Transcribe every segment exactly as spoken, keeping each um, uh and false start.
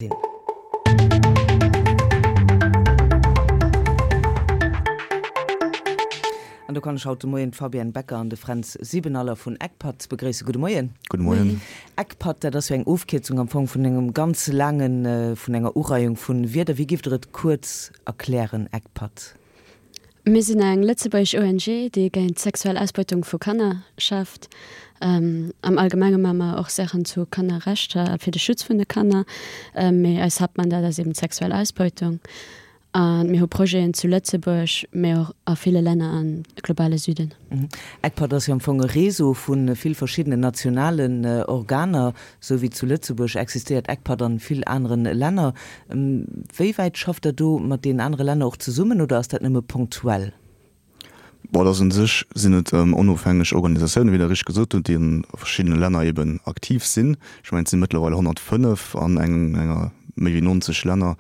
Sinn. An do kann ech haut de Moien d'Fabienne Becker an de Fränz Siebenaller vun ECPAT begréissen. Gudde Moien. Gudde Moien. ECPAT, dat ass jo eng Ofkierzung am Fong vun engem ganz laangen, vun enger Ureihung vu Wierder. Wéi giff Der et kuerz erklären, ECPAT? Mir sinn eng lëtzebuergesch O N G, déi géint sexuell Ausbeutung vu Kanner schafft. Am Allgemenge maache mer och Saachen zu Kannerrechter a fir de Schutz vun de Kanner, mee eist Haaptmandat ass eben d'sexuell Ausbeutung. A mir hu Projeten zu Lëtzebuerg, mee och a ville Länner am globale Süden. ECPAT ass jo am Fong e Réseau vu vill verschiddenen nationalen Organer. Sou wéi zu Lëtzebuerg existéiert ECPAT an vill aneren Länner. Wéi wäit schafft der do mat deenen anere Länner och zesummen oder ass dat nëmme punktuell? Bon, dat un sech sinn et onofhängeg Organisatiounen, wéi Der richteg gesot hutt, déi a verschiddene Länner eben aktiv sinn. Ech mengen, et si mëttlerweil honnertfënnef an enger méi wéi neunzeg Länner.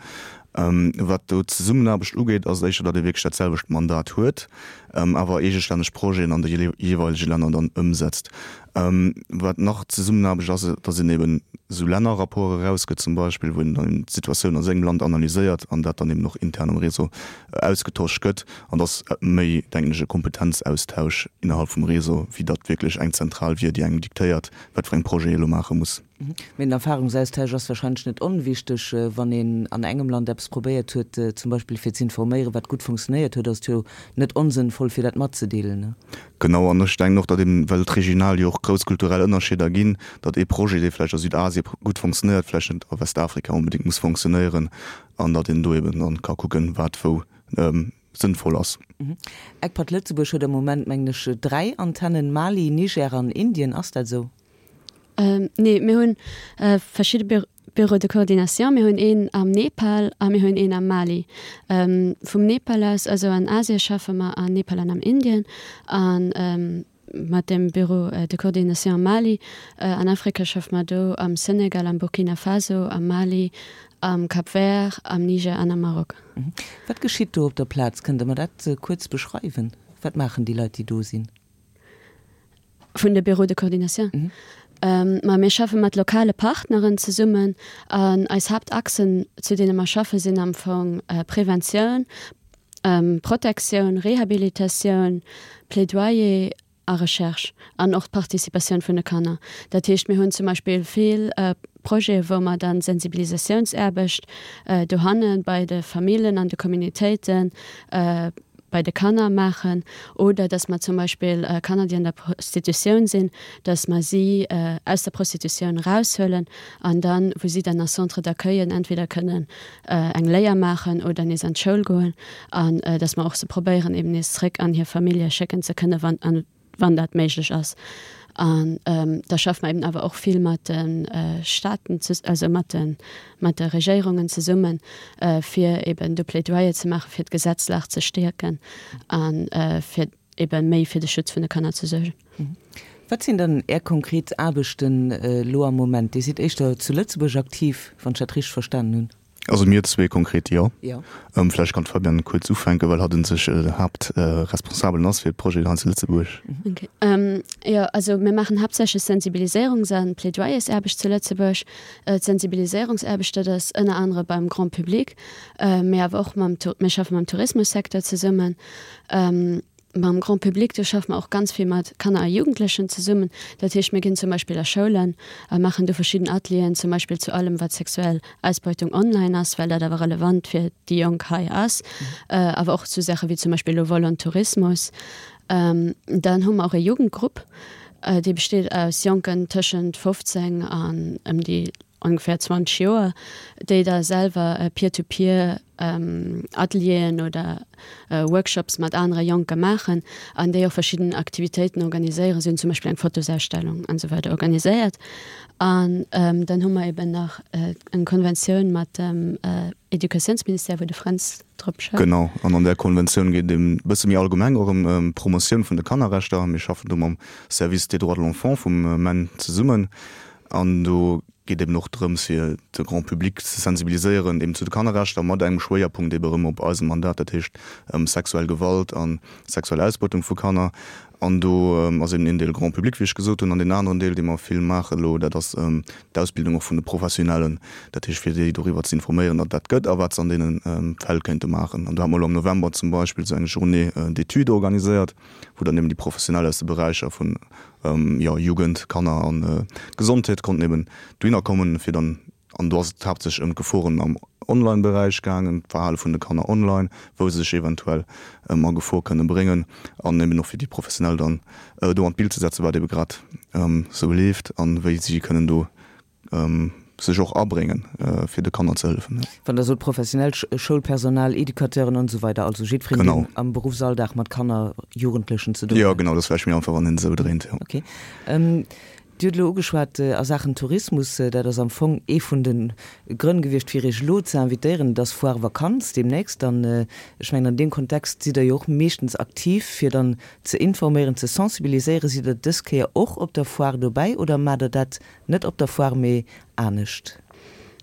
Wat do d'Zesummenaarbecht ugeet, ass et éischter, datt ee wierklech dat selwecht Mandat huet, awer eegestänneg Projeten an de jeeweilege Länner dann ëmsetzt. Wat nach d'Zesummenaarbecht ass, datt een eben esou Lännerrapporte erausgëtt zum Beispill, wou een dann d'Situatioun a sengem Land analyséiert an dat dann eben och intern am Réseau ausgetosch gëtt. An dat ass méi, denken ech, e Kompetenzaustausch innerhalb vum Réseau, wéi datt wierklech eng Zentral wier, déi engem diktéiert, wat fir eng Projete ee elo maache muss. Mee den Erfahrungsaustausch ass wahrscheinlech net onwichteg. Wann een an engem Land eppes probéiert huet, zum Beispill fir z'informéieren, wat gutt funktionéiert huet, ass et jo net onsënnvoll, fir dat matzedeelen, ne? Genau, an ech denken och, datt eben, well et regional jo och grouss kulturell Ënnerscheeder ginn, datt ee Projet, dee vläicht a Südasie gutt funktionéiert, vläicht net a Westafrika onbedéngt muss funktionéieren, an datt een do eben dann ka kucken, wat wou sënnvoll ass. ECPAT Lëtzebuerg huet am Moment, mengen ech, dräi Antennen, Mali, Niger an Indien. Ass dat esou? Nee, mir hunn verschidde Bureaux de coordination. Mir hunn een am Nepal a mir hunn een am Mali. Vum Nepal aus, also an Asie schaffe mer an Nepal an am Indien. A mat dem Bureau de coordination am Mali. An Afrika schaffe mer do am Senegal, am Burkina Faso, am Mali, am Cap Vert, am Niger an am Maroc. Wat geschitt do op der Plaz? Kënnt Der mer dat kuerz beschreiwen? Wat maachen déi Leit, déi do sinn? Vun de Bureaux de coordination? Ma mir schaffe mat lokale Partneren zesummen an eis Haaptachsen, zu deene mer schaffe sinn am Fong Preventioun, Protektioun, Rehabilitatioun, Plädoyer a Recherche an och d'Participatioun vun de Kanner. Dat heescht, mir hunn zum Beispill vill Projete wou mer dann Sensibilisatiounsaarbecht dohanne bei de Famillen an de Communautéiten, bei de Kanner maachen oder dass mer zum Beispill Kanner, déi an der Prostitutioun sinn, dass mer si aus der Prostitutioun eraushuelen an dann, wou si dann a Centre d'accueillen entweder kënnen eng Léier maachen oder nees an d'Schoul goen an dass mer och se probéieren eben nees zréck an hir Famillje schécken ze kënnen, wann wann dat méiglech ass. An da schaffe mer eben awer och vill mat de Staaten, also mat de mat de Regéierungen zesummen, fir eben do Plädoyer ze maachen, fir d'Gesetzlag ze stäerken a fir eben méi fir de Schutz vun de Kanner ze suergen. Wat sinn dann Är konkret Aarbechten elo am Moment? Dir sidd éischter zu Lëtzebuerg aktiv, wann ech dat richteg verstanen hunn. Also mir zwee konkret, jo. Vläicht kann d'Fabienne kuerz ufänken, well hatt un sech den Haaptresponsabelen ass fir d'Projeten hei zu Lëtzebuerg. Ok. Jo, also mir maachen haaptsächlech Sensibiliséierungs a Plädoyersaarbecht zu Lëtzebuerg. D'Sensibiliséierungsaarbecht, dat ass ënner anere beim Grand public, mee awer och mam, mir schaffe mam Tourismussecteur zesummen. Mam Grand public, do schaffe mer och ganz vill mat Kanner a Jugendlechen zesummen. Dat heescht, mir ginn zum Beispill a Schoulen a maachen do verschidden Atelieren, zum Beispill zu allem, wat sexuell Ausbeutung online ass, well dat awer relevant fir déi Jonk hei ass, awer och zu Saache wéi zum Beispill elo Volontourismus. Dann hu mer och e Jugendgrupp, dee besteet aus Jonken tëschent fofzéng an ëm déi ongeféier zwanzeg Joer, déi da selwer Peer-to-peer Atelieren oder Workshops mat anere Jonke maachen an déi och verschidden Aktivitéiten organiséieren. Si hunn zum Beispill eng Fotosausstellung an esou weider organiséiert. An dann hu mer eben nach eng Konventioun mat dem Educatiounsministère, wou de Fränz drop schafft. Genau, an an där Konventioun geet et e bësse méi allgemeng och ëm d'Promotioun vun de Kannerrechter. Mir schaffen do mam Service des droits de l'enfant vum MENJ zesummen. An do geet eben och drëms, fir de Grand public ze sensibiliséieren eben zu de Kannerrechter, mat engem Schwéierpunkt eben erëm op eisem Mandat, dat heescht sexuell Gewalt a sexuell Ausbeutung vu Kanner. An do ass eben een Deel Grand public, wéi ech gesot hunn, an deen aneren Deel, dee mer vill maachen elo, dat ass d'Ausbildung och vun de Professionellen, dat heescht fir déi doriwwer ze informéieren, datt dat gëtt a wat se an deene Fäll kéinte maachen. An do hate mer elo am November zum Beispill esou eng Journée d'études organiséiert, wou dann eben déi Professionell aus de Beräicher vun, jo, Jugend, Kanner a Gesondheet konnten eben dohinner kommen, fir dann An do ass et haaptsächlech ëm d'Geforen am Online-Beräich gaangen, d'Verhale vun de Kanner online, wou se sech eventuell a Gefor kënne bréngen an eben och fir déi Professionell dann do an d'Bild ze setzen, wat ebe grad esou leeft a wéi si kënnen do sech och abréngen, fir de Kanner ze hëllefen. Wann Der sot professionell, Schoulpersonal, Educateuren an esou weider, also jiddwereen, deen am Beruffsalldag mat Kanner, Jugendlechen ze doen huet. Jo, genau, dat ass vläicht méi einfach, wann een et esou dréint, jo. Okay. Dir hutt elo ugeschwat a Saachen Tourismus, dat ass am Fong ee vun de Grënn gewiescht, fir Iech elo ze invitéieren. Et ass Foire Vakanz deemnächst an ech mengen, an deem Kontext sidd Der jo och meeschtens aktiv, fir dann ze informéieren, ze sensibiliséieren. Sidd Der dës Kéier och op der Foire dobäi oder maacht Der dat net op der Foire, mee anescht?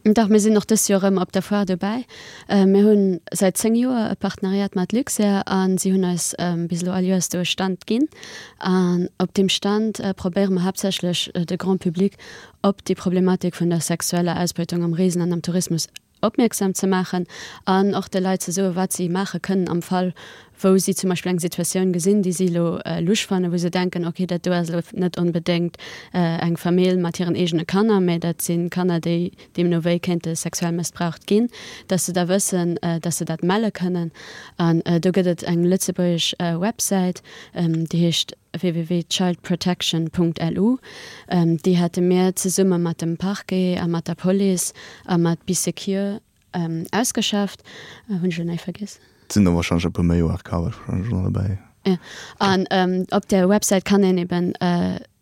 Dach, mir sinn och dëst Joer erëm op der Foire dobäi. Mir hu säit zéng Joer e Partenariat mat Luxair a si hunn eis bis elo all Joers do e Stand ginn. An op deem Stand probéiere mer haaptsächlech de Grand public op déi Problematik vun der sexueller Ausbeutung am Reesen an am Tourismus opmierksam ze maachen an och de Leit ze soen, wat si maache kënnen am Fall, wou si zum Beispill eng Situatioun gesinn, déi si elo lusch fannen, wou se denken, okay, dat do ass elo net onbedéngt eng Famill mat hiren eegene Kanner, mä dat si Kanner, déi deemno wéi kéinte sexuell mëssbraucht ginn, dass se da wëssen, dass se dat melle kënnen. An do gëtt et eng lëtzebuergesch Websäit, déi heescht www.childprotection punkt lu. Déi hate mir zesumme mat dem Parquet a mat der Police a mat Bee Secure ausgeschafft. Hunn ech elo näischt vergiess? Et sinn der warscheinlech e puer méi, O R K war warscheinlech och nach dobäi. Jo, an op där Websäit kann een eben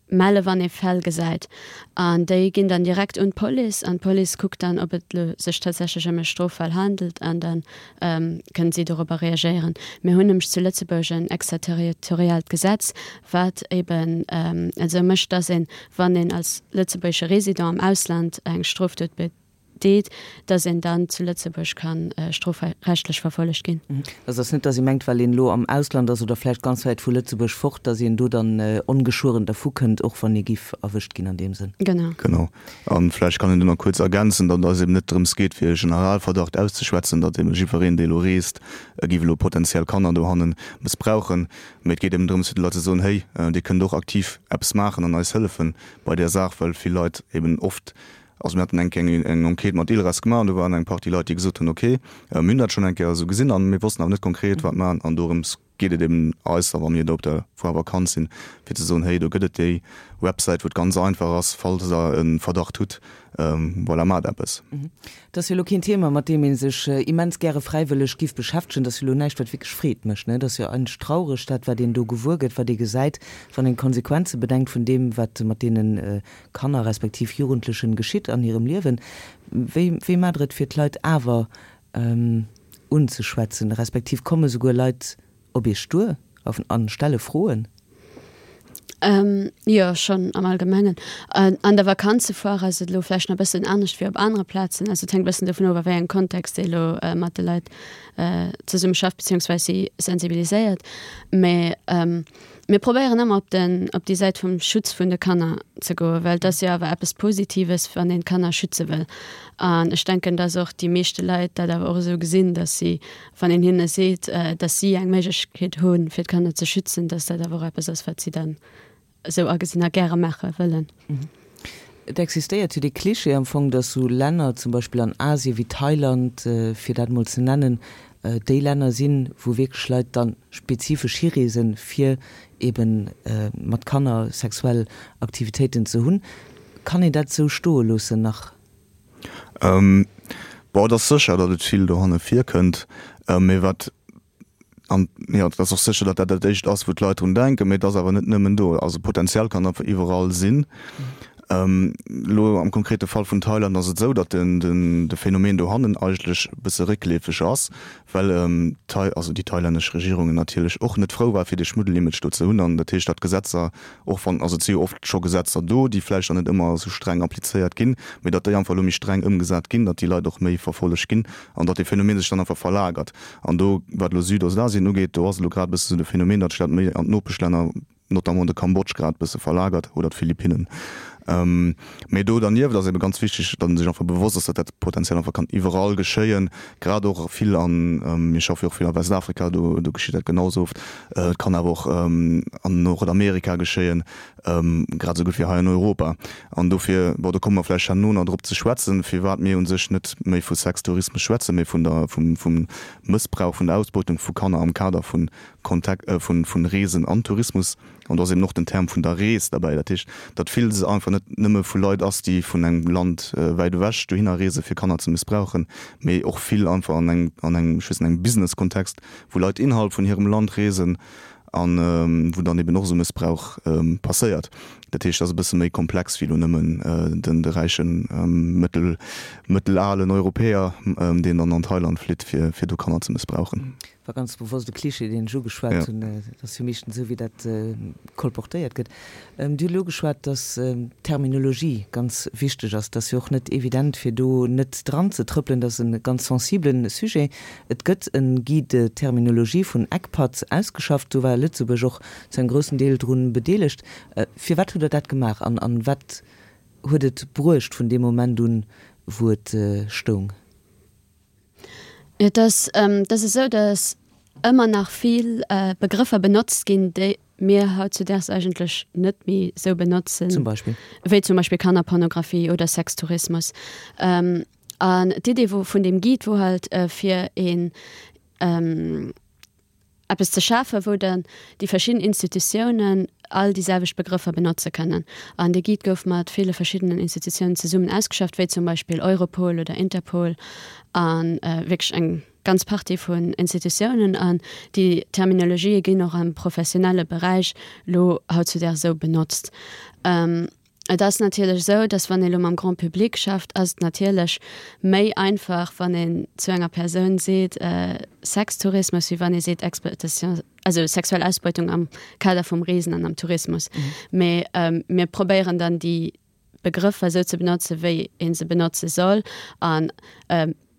melle wann ee Fäll gesäit an déi ginn dann direkt un d'Police an d'Police kuckt dann, ob et elo sech tatsächlech ëm e Stroffall handelt an da kënnen si dorobber reagéieren. Mir hunn nämlech zu Lëtzebuerg en extraterritoriaalt Gesetz, wat eben esou mécht, dass een, wann een als lëtzebuergesche Résident am Ausland eng Strofdot deet, dass een dann zu Lëtzebuerg ka strofrechtlech verfollegt ginn. Also et ass net, dass ee mengt, well een elo am Ausland ass oder vläicht ganz wäit vu Lëtzebuerg fort, dass een do dann ongeschueren dervu kënnt, och wann ee giff erwëscht ginn an deem Sënn. Genau. Genau. A vläicht kann een do nach kuerz ergänzen, datt et eis eben net drëms geet, fir e Generalverdacht auszeschwätzen, datt eben jiddwereen, dee elo reest, giff elo potenziell Kanner dohanne mëssbrauchen, mee et geet eben drëms, fir de Leit ze soen, Hey, dir kënnt och aktiv eppes maachen an eis hëllefen bei där Saach, well vill Leit eben oft Also mir haten eng Kéier eng Enquête mat ILRAS gemaach an do waren eng Partie Leit, déi gesot hunn, okay, mir hunn dat schonn eng Kéier esou gesinn an mir wossten awer net konkret, wat maachen. An dorëms geet et eben eis da, wa mir do op der Foire Vakanz sinn, fir ze soen, hey, do gëtt et déi Websäit, wou et ganz einfach ass, falls Der e Verdacht hutt, voilà, maacht eppes. Et ass jo elo keen Thema, mat deem ee sech immens gäre fräiwëlleg giff beschäftegen. Et ass jo elo näischt, wat wierklech Freed mécht, ne? Et ass jo eigentlech traureg, dat, wat een do gewuer gëtt, wat ee gesäit, wann een d'Konsequenze bedenkt vun deem, wat mat deene Kanner respektiv Jugendlechen geschitt an hirem Liewen. Wéi, wéi maacht Der et, fir d'Leit awer unzeschwätzen, respektiv komme souguer Leit op Iech duer a stelle Froen? Jo, schonn am Allgemengen. An der Vakanzefoire ass et elo vläicht nach e bëssen anescht wéi op anere Plazen. Also et hänkt e bëssen dovun of, a wéi engem Kontext ee elo mat de Leit zesumme schafft beziehungsweis si sensibiliséiert. Mä mir probéieren ëmmer op den, op déi Säit vum Schutz vun de Kanner ze goen, well et ass jo awer eppes Positives, wann een d'Kanner schütze wëll. An ech denken, dass och déi meeschte Leit dat awer och esou gesinn, dass si, wann een hinne seet, dass si eng Méiglechkeet hunn, fir d'Kanner ze schützen, dass dat awer och eppes ass, wat si dann esou agesinn a gäre maache wëllen. Et existéiert jo dee Klischee am Fong, dass sou Länner, zum Beispill an Asien wéi Thailand, fir dat emol ze nennen, déi Länner sinn, wou wierklech Leit da spezifesch hireesen, fir eben mat Kanner sexuell Aktivitéiten ze hunn. Kann een dat esou stoe loossen nach? Bon, et ass sécher, datt et vill dohanne virkënnt, mee wat An jo, et ass och sécher, datt dat dat Éischt ass, wou d'Leit drun denken, mee et ass awer net nëmmen do. Also Potenzial kann einfach iwwerall sinn. Elo am konkrete Fall vun Thailand ass et esou, datt den, den, de Phänomen dohannen eigentlech e bësse réckleefeg ass, well d'Thai, also déi thailännesch Regierung natierlech och net frou war, fir dee Schmuddelimage do ze hunn. An dat heescht, datt d'Gesetzer, och wann, also et si jo oft scho Gesetzer do, déi vläicht dann net ëmmer esou streng applizéiert ginn, mee datt déi einfach elo méi streng ëmgesat ginn, datt déi Leit och méi verfollegt ginn an datt dee Phänomen sech dann einfach verlagert. An do, wat elo Südostasien ugeet, do ass elo grad e bësse sou de Phänomen, datt sech dat méi an d'Nopeschlänner notamment de Cambodge grad bësse verlagert oder d'Philippinnen. Mee do dernieft ass ebe ganz wichteg, datt ee sech einfach bewosst ass, datt dat potenziell einfach kann iwwerall geschéien, grad och vill an, mir schaffe jo och vill a Westafrika, do do geschitt dat genau esou oft. Et kann awer och an Nordamerika geschéien, grad esou gutt wéi hei an Europa. An dofir, bon, do komme mer vläicht herno nach drop ze schwätzen, firwat mir u sech net méi vu Sextourismus schwätzen, mee vun der, vum vum Mëssbrauch, vun der Ausbeutung vu Kanner am Kader vu Kontakt, vun vun Reesen an Tourismus. An do ass eben och den Term vun der Rees derbäi. Dat heescht, datt villes einfach net nëmme vu Leit ass, déi vun engem Land wäit ewech dohinner reese fir Kanner ze mëssbrauchen, mee och vill einfach an engem, an engem, ech weess net, engem Business-Kontext, wou Leit innerhalb vun hirem Land reesen a wou dann eben och esou Mëssbrauch passéiert. Dat heescht, dat ass e bësse méi komplex wéi elo nëmmen den, de räichen, mëttel, mëttelalen Europäer, deen dann an Thailand flitt, fir, fir do Kanner ze mëssbrauchen. War ganz bewosst e Klischee, deen ech ugeschwat hunn. Et ass jo meeschtens esou, wéi dat kolportéiert gëtt. Dir hutt elo ugeschwat, dass d'Terminologie ganz wichteg ass. Et ass jo och net evident, fir do net dran ze trëppelen. Dat ass e ganz sensibele Sujet. Et gëtt e Guide de terminologie vun ECPAT ausgeschafft. Do war Lëtzebuerg och zu engem groussen Deel drun bedeelegt. Firwat hutt Der dat gemaach an wat huet et bruecht vun deem Moment un, wou et stoung? Et ass, et ass esou, datt ëmmer nach vill Begrëffer benotzt ginn, déi mir hautzudaags eigentlech net méi esou benotzen. Zum Beispill? Wéi zum Beispill Kannerpornografie oder Sextourismus. An d'Idee wou vun deem Guide wor halt, fir een eppes ze schafen, wou dann déi verschidden Institutiounen all déi selwecht Begrëffer benotze kënnen. An dee Guide gouf mat ville verschiddenen Institutiounen zesummen ausgeschafft, wéi zum Beispill Europol oder Interpol a wierklech eng ganz Partie vun Institutiounen. An déi Terminologië ginn och am professionelle Beräich elo hautzudags esou benotzt. Et ass natierlech esou, dass wann ee lo mam Grand public schafft, ass et natierlech méi einfach, wann een zu enger Persoun seet Sextourismus, wéi wann ee seet Exploitation, also sexuell Ausbeutung am Kader vum Reesen an am Tourismus. Mee mir probéieren dann déi Begrëffer esou ze benotzen, wéi ee se benotze soll an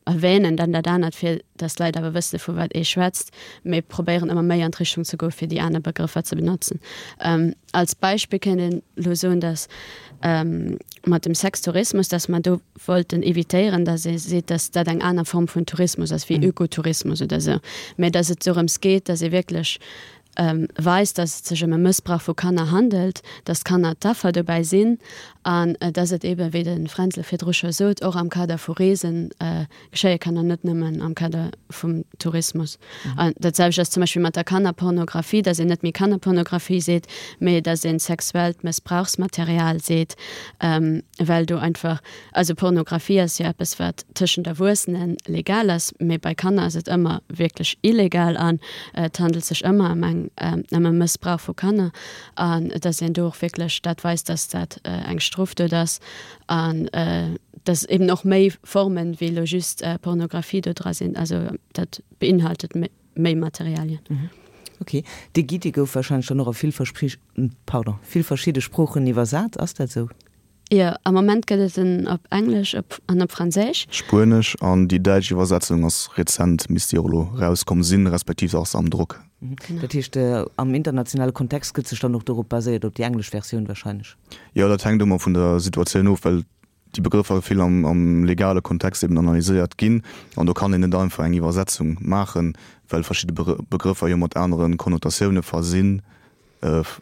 erwähnen dann dat anert, fir dass d'Leit awer wësse vu wat ee schwätzt, mee probéieren ëmmer méi an d'Richtung ze goen, fir déi aner Begrëffer ze benotzen. Als Beispill kéint een elo soen, dass mat dem Sextourismus, dass mer do wollten evitéieren, dass ee seet, dass dat eng aner Form vun Tourismus ass wéi Ökotourismus oder esou, mä dass et dorëms geet, dass ee wierklech weist, dass et sech ëm e Mëssbrauch vu Kanner handelt, dass d'Kanner d'Affer dobäi sinn an dass et eeben, wéi de Fränzle virdru scho sot, och am Kader vu Reese geschéie kann an net nëmmen am Kader vum Tourismus. An dat selwecht ass zum Beispill mat der Kannerpornografie, dass een net méi Kannerpornografie seet, mee dass ee sexuellt Mëssbrauchsmaterial seet, well do einfach, also Pornografie ass jo eppes, wat tëschent Erwuessene legal ass, mee bei Kanner ass et ëmmer wierklech illegal an et handelt sech ëmmer ëm eng ëm e Mëssbrauch vu Kanner an dass een do och wierklech dat weist, dass dat eng Strofdot ass an dass eben och méi Formen wéi elo just Pornografie do dra sinn. Also dat beinhaltet méi Materialien. Ok. Dee Guide, dee gouf wahrscheinlech dann och a vill pardon, vill verschidde Sproochen iwwersat, ass dat esou? Jo, am Moment gëtt et en op Englesch op an op Franséisch. Spuenesch an déi däitsch Iwwersetzung ass rezent, misst déi och elo rauskomm sinn, respektiv ass se am Drock. Dat heescht, am internationale Kontext gëtt sech dann och dorop baséiert, op déi englesch Versioun wahrscheinlech? Jo, dat hänkt ëmmer vun der Situatioun of, well déi Begrëffer vill am am legale Kontext eben analyséiert ginn an do kann een net einfach eng Iwwersetzung maachen, well verschidde Begrëffer jo mat anere Konnotatioune versinn.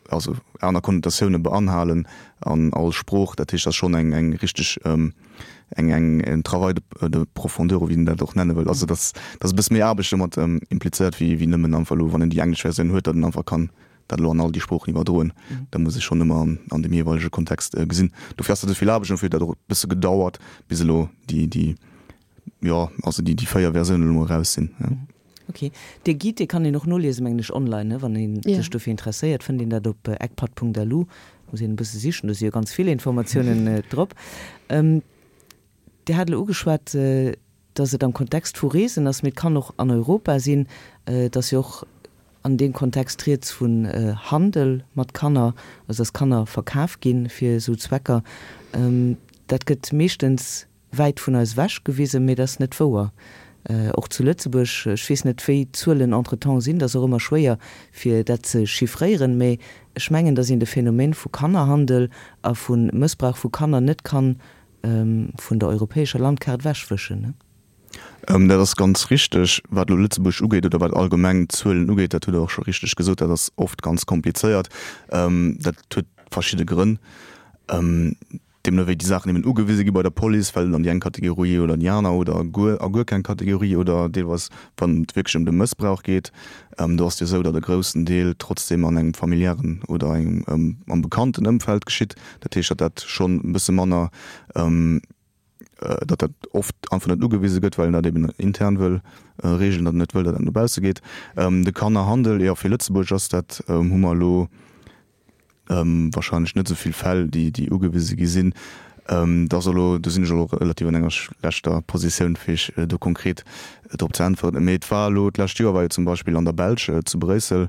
also aner Konnotatioune beanhalen an all Sprooch. Dat heescht, dat ass schonn eng eng richteg eng eng en Travail de de profondeur, oder wéi een dat och nenne wëll. Also dat dat ass e bësse méi Aarbecht domat implizéiert wéi wéi nëmmen einfach elo, wann een déi englesch Versioun huet, datt een einfach kann dat elo an all déi Sproochen iwwerdroen. Dat muss ee schonn ëmmer an an deem jeeweilege Kontext gesinn. Dofir ass dat esou vill Aarbecht an dofir huet dat och e bësse gedauert, bis elo déi déi jo also déi déi véier Versiounen elo eraus sinn. Ok, dee Guide, dee kann een och noliesen, mengen ech, online, ne? Wann ee sech dofir interesséiert, fënnt een dat op ecpat.lu. Muss een e bësse sichen, do si jo ganz vill Informatiounen drop. Dir hat elo ugeschwat, dass et am Kontext vu Reesen ass, mee et kann och an Europa sinn. Et ass jo och an deem Kontext rieds vun Handel mat Kanner, also dass Kanner verkaf gi fir esou Zwecker. Dat gëtt meeschtens wäit vun eis ewech gewisen, mee dat ass net wouer. Och zu Lëtzebuerg. Ech weess net, wéi d'Zuelen entretemps sinn, dat ass och ëmmer schwéier, fir dat ze chiffréieren, mee ech mengen, datt een de Phänomen vu Kannerhandel a vu Mëssbrauch vu Kanner net kann vun der europäescher Landkaart ewechwëschen. Dat ass ganz richteg, wat elo Lëtzebuerg ugeet oder wat allgemeng d'Zuelen ugeet. Dat hutt Der och scho richteg gesot, dat ass oft ganz komplizéiert. Dat huet verschidde Grënn. Deemno wéi déi Saachen eben ugewise gi bei der Police, fält et an déi eng Kategorie oder déi aner oder guer a guer keng Kategorie oder deelweis wann et wierklech ëm de Mëssbrauch geet, do ass et jo esou, datt e groussen Deel trotzdeem an engem familiären oder engem am bekannten Ëmfeld geschitt. Dat heescht, datt dat schonn e bësse manner, datt dat oft einfach net ugewise gëtt, well een dat eben intern wëll reegelen, datt een net wëll, datt dat no bausse geet. De Kannerhandel, jo fir Lëtzebuerg ass dat, hu mer elo, Wahrscheinlech net esou vill Fäll, déi déi ugewise gi sinn. Dat ass elo, do sinn ech elo relativ an enger schlechter Positioun, fir Iech do konkret drop ze äntweren. Mee et war elo, d'lescht Joer war jo zum Beispill an der Belsch, zu Bréissel,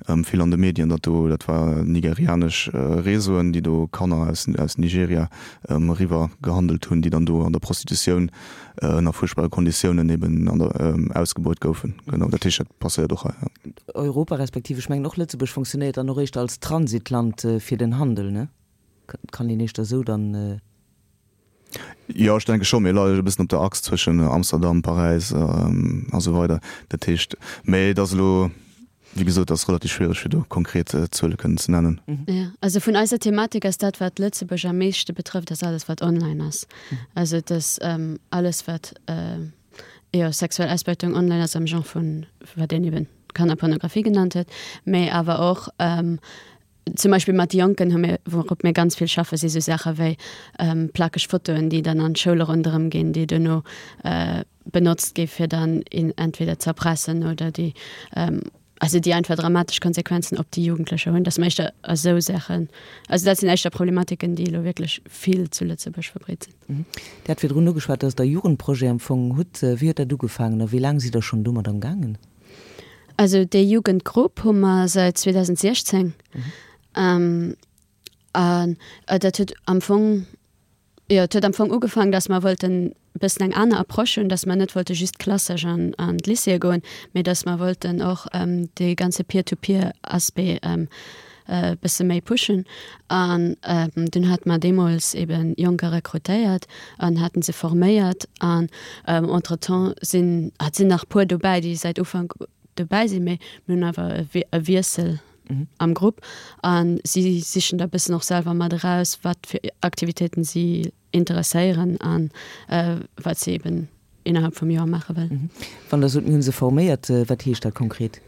vill an de Medien, datt do, dat war nigerianesch Réseauen, déi do Kanner aus aus Nigeria eriwwer gehandelt hunn, déi dann do an der Prostitutioun ënner fuerchtbare Konditiounen eben an der ausgebeut goufen. Genau, dat heescht, dat passéiert och hei, jo. Europa, respektiv ech mengen och Lëtzebuerg funktionéiert dann och éischter als Transitland fir den Handel, ne? Kann een éischter esou dann. Jo, ech denke scho. Mir leie e bëssen op der Achs zwëschen Amsterdam, Paräis a sou weider. Dat heescht, mä et ass elo, wéi gesot, et ass relativ schwiereg, fir do konkret Zuele kënnen ze nennen. Jo, also vun eiser Thematik ass dat, wat Lëtzebuerg am meeschte betrëfft, ass alles, wat online ass. Also et ass alles, wat, jo, sexuell Ausbeutung online ass am Genre vun, wat een eben Kannerpornografie genannt huet, mä awer och Zum Beispill mat Jonken hu mir, wourop mir ganz vill schaffen, si sou Saache wéi plakeg Fotoen, déi dann an d'Schoule ronderëm ginn, déi duerno benotzt gi fir dann een entweder ze erpressen oder déi, also déi einfach dramatesch Konsequenzen op déi Jugendlecher hunn. Dat sinn éischter esou Saachen, also dat sinn éischter Problematiken, déi elo wierklech vill zu Lëtzebuerg verbreet sinn. Dir hat virdrun ugeschwat, dass Der e Jugendprojet am Fong hutt. Wéi huet dat ugefaangen a wéi laang sidd Der schonn domat am gaangen? Also déi Jugendgrupp hu mer säit zweedausendsechzéng. An dat huet am Fong, jo, et huet am Fong ugefaangen, datt mer wollten e bëssen eng aner Approche hunn, datt mer net wollte just klassesch an an d'Lycéeë goen, mee datt mer wollten och dee ganze Peer-to-peer-Aspect e bësse méi pushen. An dunn hate mer deemools ebe Jonker rekrutéiert an haten se forméiert. An entretemps sinn, et sinn nach puer dobäi, déi säit Ufank dobäi sinn, mee mir hunn awer e Wiessel am Grupp a si sichen da bëssen och selwer mat eraus, wat fir Aktivitéiten si interesséieren a wat si eben innerhalb vum Joer maache wëllen. Wann Der sot, mir hu se forméiert, wat heescht dat konkret?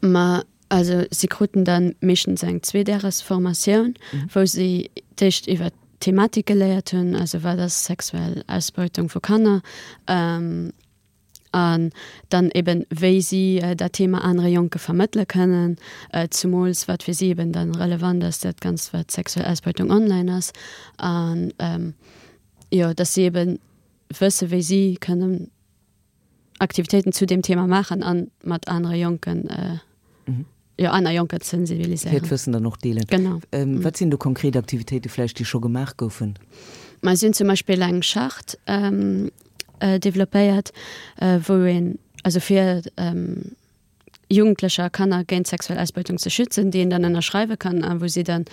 Ma also si kruten da meeschtens eng Zweedäresformatioun, wou si d'éischt iwwer d'Thematik geléiert hunn, also wat ass sexuell Ausbeutung vu Kanner, An dann eben, wéi si dat Thema anere Jonke vermëttele kënnen, zumools wat fir si eben dann relevant ass, dat Ganzt wat sexuell Ausbeutung online ass. An jo, dass si eben wësse wéi si kënnen Aktivitéiten zu deem Thema maachen a mat anere Jonken, jo aner Jonker sensibiliséieren. Hiert Wëssen dann och deelen. Genau. Wat sinn do konkret Aktivitéite vläicht, déi scho gemaach goufen? Ma si hunn zum Beispill eng Charte developpéiert, wou een, also fir Jugendlecher a Kanner géint sexuell Ausbeutung ze schützen, déi een dann ënnerschreiwe kann a wou si dann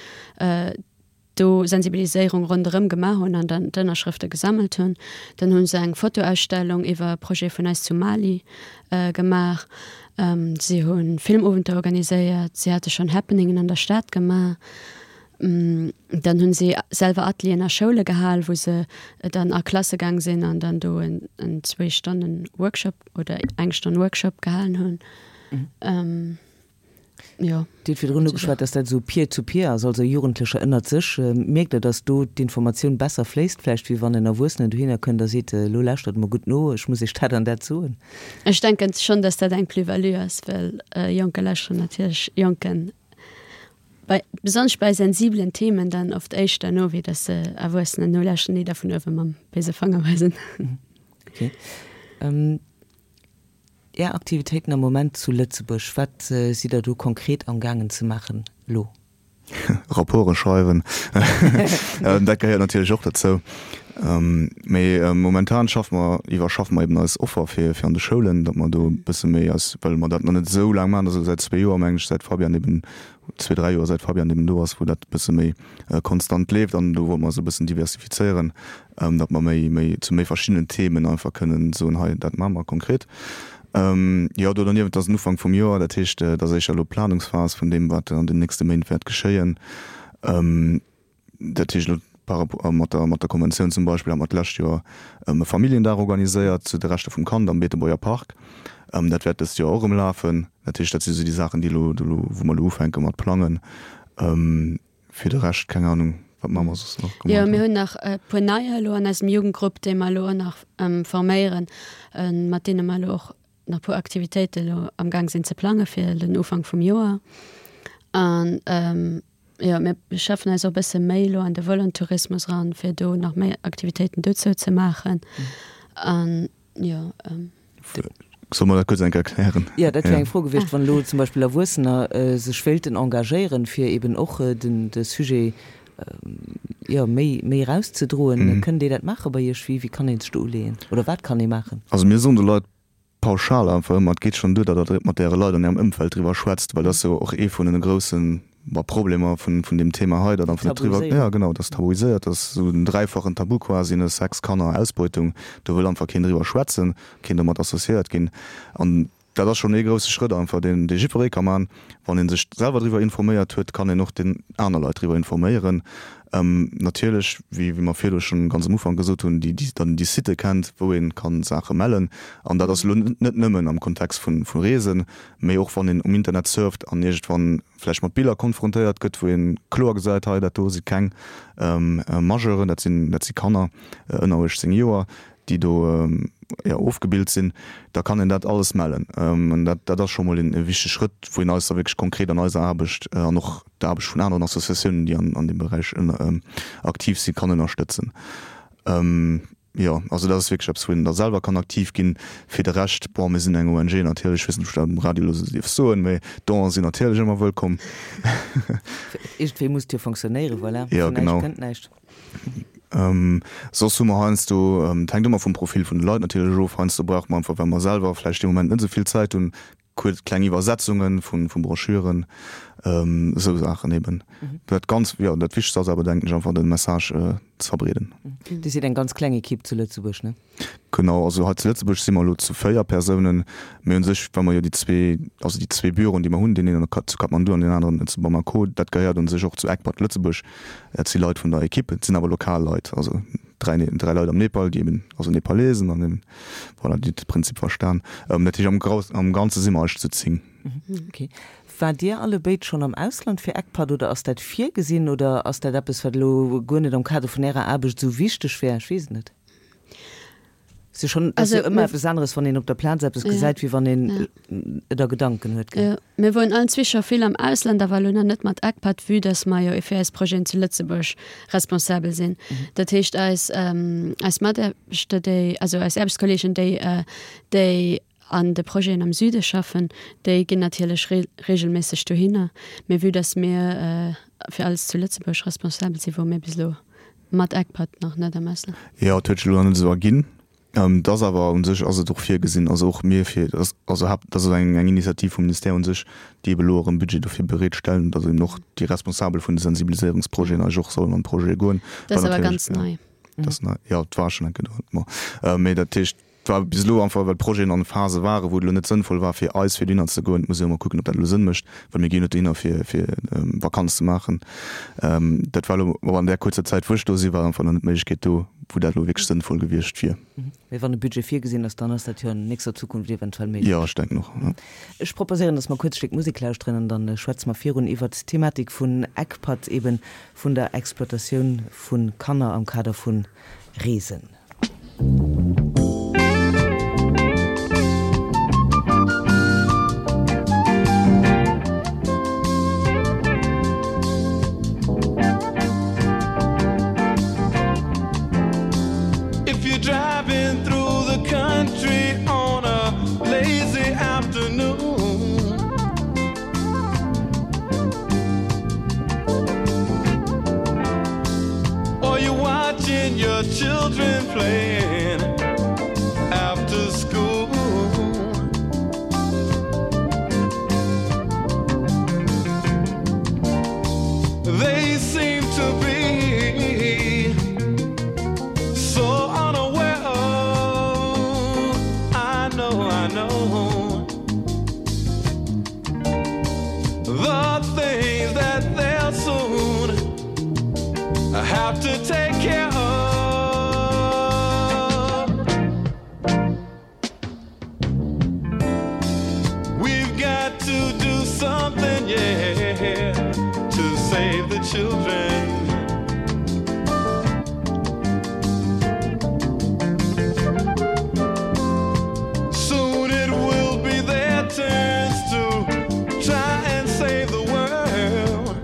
do Sensibiliséierung ronderëm gemaach hunn an dann d'Ënnerschrëfte gesammelt hunn. Dann hu se eng Fotoausstellung iwwer e Projet vun eis zu Mali gemaach. Si hu Filmowenter organiséiert, si hate schonn Happeningen an der Stad gemaach. Dann hunn si selwer Atelieren a Schoule gehal, wou se dann a Klasse gaang sinn an dann do en en zwee Stonnen Workshop oder eng Stonn Workshop gehalen hunn. Jo. Dir hutt virdrun ugeschwat, dass dat esou Peer-to-peer ass, also Jugendlecher ënnert sech. Mierkt Der, dass do d'Informatioun besser fléisst vläicht, wéi wann en Erwuessenen dohinner kënnt a seet, elo lauschtert emol gutt no, ech muss Iech dat an dat soen? Ech denken schonn, dass dat eng Plus-value ass, well Jonker lauschteren natierlech Jonken Bei, besonnesch bei sensibelen Themen dann oft éischter no, wéi dass se Erwuessenen nolauschteren, déi da vun uewe mam béise Fanger weisen. Okay. Är Aktivitéiten am Moment zu Lëtzebuerg, wat sidd Der do konkret amgaangen ze maachen elo? Rapporte schreiwen, dat gehéiert natierlech och dozou. Mee momentan schaffe mer, iwwerschaffe mer eben eis Offer fir fir an de Schoulen, datt mer do e bësse méi eis, well mer dat nach net esou laang maachen, dat ass elo säit zwee Joer, mengen ech, säit Fabian eben, zwee, dräi Joer, säit Fabian eben do ass, wou dat e bësse méi konstant leeft. An do wollte mer eis e bëssen diversifizéieren, datt mer méi, méi zu méi verschiddenen Themen einfach kënnen soen, hei dat maache mer konkret. Jo, do derniewent ass den Ufank vum Joer, dat heescht, et ass éischter elo Planungsphas vun deem, wat an den nächste Méint wäert geschéien. Dat heescht elo par rapport mat der, mat der Konventioun zum Beispill hate mer d'lescht Joer e Familljendag organiséiert zu de Rechter vum Kand am Beetebuerger Park. Dat wäert dëst Joer och erëm lafen. Dat heescht, dat si sou déi Saachen, déi elo, wou mer elo ufänke mat plangen. Fir de Rescht, keng Ahnung, wat maache mer soss nach Jo, mir hunn nach e puer Neier elo an eisem Jugendgrupp, déi mer elo och nach forméieren, mat deene mer elo och nach e puer Aktivitéite elo amgaang sinn ze plange fir den Ufank vum Joer. An jo, mir schaffen eis och e bësse méi elo an de Volontourismus eran, fir do nach méi Aktivitéiten dozou ze maachen. An jo. Soll mer dat kuerz eng Kéier erklären? Jo, dat wär eng Fro gewiescht, wann elo zum Beispill Erwuessener sech wéilten engagéieren, fir eben och den de Sujet, jo, méi méi erauszedroen. Kënnen déi dat maache bei Iech? Wéi wéi kann ee sech do uleeën oder wat kann ee maachen? Also mir soen de Leit pauschal einfach ëmmer, et geet schonn duer, datt Der mat Äre Leit an Ärem Ëmfeld driwwer schwätzt, well dat ass jo och ee vun den groussen Bon, Problemer vun vun deem Thema hei, datt einfach net driwwer, ja genau, dat ass tabuiséiert, dat ass esou den dräifachen Tabu quasi, ne, Sex, Kanner, Ausbeutung, do wëll einfach keen driwwer schwätzen, keen domat associéiert ginn. An dat ass schonn ee grousse Schrëtt einfach, deen dee jiddweree ka man. Wann ee sech selwer driwwer informéiert huet, kann een och den aner Leit driwwer informéieren. Natierlech, wéi wéi mer virdu schonn ganz am Ufank gesot hunn, déi déi dann déi Sitë kennt, wou ee kann Saache mellen. An dat ass elo net nëmmen am Kontext vun vu Reesen, mee och wann een um Internet surft an iergendwann vläicht mat Biller konfrontéiert gëtt, wou ee kloer gesäit, hei dat do si keng Majeuren, dat sinn dat si Kanner ënner uechtzéng Joer, déi do jo ofgebilt sinn, da kann een dat alles mellen. An dat dat ass scho mol een e wichtege Schrëtt, wou een eis da wierklech konkret an eiser Aarbecht an och der Aarbecht vun aneren Associatiounen, déi an an deem Beräich aktiv sinn, kann ënnerstëtzen. Jo, also dat ass wierklech eppes, wou een da selwer kann aktiv ginn. Fir de Rescht, bon, mir sinn eng O N G natierlech, ech weess net, ob ech dat um Radio elo esou dierf soen, mee Donen sinn natierlech ëmmer wëllkomm. Iergendwéi muss et jo fonctionnéieren, voilà, Jo, vun näischt genau. kënnt näischt. Soss hu mer heiansdo, et hänkt ëmmer vum Profil vun de Leit natierlech of, heiansdo brauche mer einfach, well mer selwer vläicht dee Moment net esou vill Zäit hunn, kuerz kleng Iwwersetzunge vu Broschüren, esou Saachen eben. Dat ganz, jo, dat Wichtegst ass awer, denken ech, einfach de Message ze verbreeden. Dir sidd eng ganz kleng Ekipp zu Lëtzebuerg, ne? Genau, also hei zu Lëtzebuerg si mer elo zu véier Persounen, mee u sech, well mer jo déi zwee, also déi zwee Büroen, déi mer hunn, deen een zu Kathmandu an deen aneren zu Bamako, dat gehéiert u sech och zu ECPAT Lëtzebuerg. Dat si Leit vun der Ekipp, et sinn awer lokal Leit, also dräi, dräi Leit am Nepal, déi eben, also Nepalesen an eben, voilà, déi de Prinzip verstan. Dat heescht, am Grous, am Ganze si mer eigentlech zu zéng. Okay. Waart Dir allebéid schonn am Ausland fir ECPAT oder ass dat virgesinn oder ass dat eppes, wat elo guer net am Kader vun Ärer Aarbecht esou wichteg wär? Ech weess et net. Ass jo schonn, ass jo ëmmer eppes aneres, wann een op der Plaz eppes gesäit, wéi wann een et a Gedanken huet, gell? Jo, mir woren allen zwee scho vill am Ausland, awer elo nach net mat ECPAT, vue dass mer jo fir eis Projeten zu Lëtzebuerg responsabel sinn. Dat heescht, eis, eis Mataarbechter, déi, also eis Aarbechtskolleegen, déi, déi an de Projeten am Süde schaffen, déi ginn natierlech regelméisseg dohinner. Mee vue dass mir fir alles zu Lëtzebuerg responsabel sinn, wore mir bis elo mat ECPAT nach net am Ausland. Jo, et huet sech elo nach net esou erginn. Et ass awer u sech ass et och virgesinn, also och mir fir, also haapt, dat ass eng eng Initiativ vum Ministère u sech, déi ebe elo och e Budget dofir bereet stellen, datt eben och déi Responsabel vun de Sensibiliséierungsprojeten eigentlech och sollen an d'Projete goen. Dat ass awer ganz nei. Dat ass nei, jo, et war schonn eng Kéier do, bon. Mee dat heescht, et war bis elo einfach, well d'Projeten an Phase waren, wou et elo net sënnvoll war fir eis fir dohinner ze goen. Et muss ee jo ëmmer kucken, ob dat elo Sënn mécht, well mir ginn jo net dohinner fir fir Vakanz ze maachen. Dat war elo awer an där kuerzer Zäit, wou ech do sinn, war einfach nach net d'Méiglechkeet do, wou dat elo wierklech sënnvoll gewiescht wier. Mee wann e Budget virgesinn ass, dann ass dat jo an nächster Zukunft eventuell méiglech. Jo, ech denken och, jo. Ech proposéieren, dass mer kuerz e Stéck Musek lauschteren an dann schwätze mer virun iwwert d'Thematik vun ECPAT, eben vun der Exploitatioun vu Kanner am Kader vu Reesen. If you're driving through the country on a lazy afternoon I know the things that they'll soon have to take care of. We've got to do something, yeah, to save the children. Soon it will be their turns to try and save the world.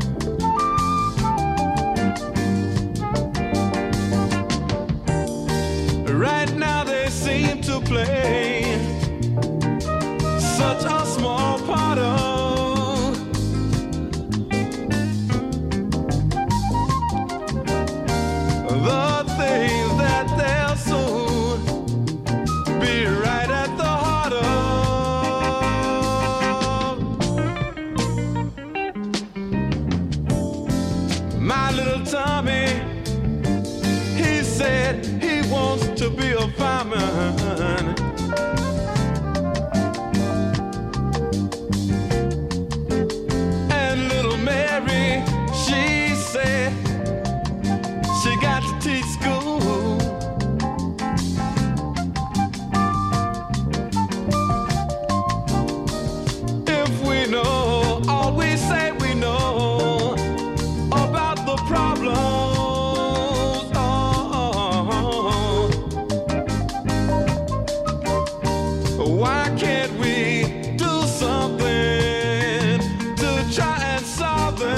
Right now they seem to play such a small part of the things that they'll soon be right at the heart of. My little Tommy, he said he wants to be a fireman. And little Mary, she said she got to teach school. If we know all we say we know about the problems, oh, why can't we do something to try and solve them?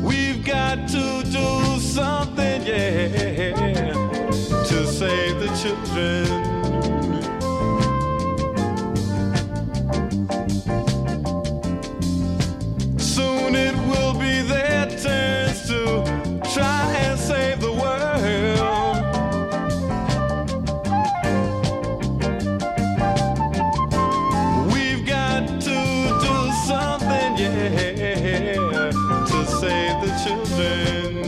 We've got to do something, yeah, to save the children. Soon it will be their turns to try and save the world. We've got to do something, yeah, to save the children.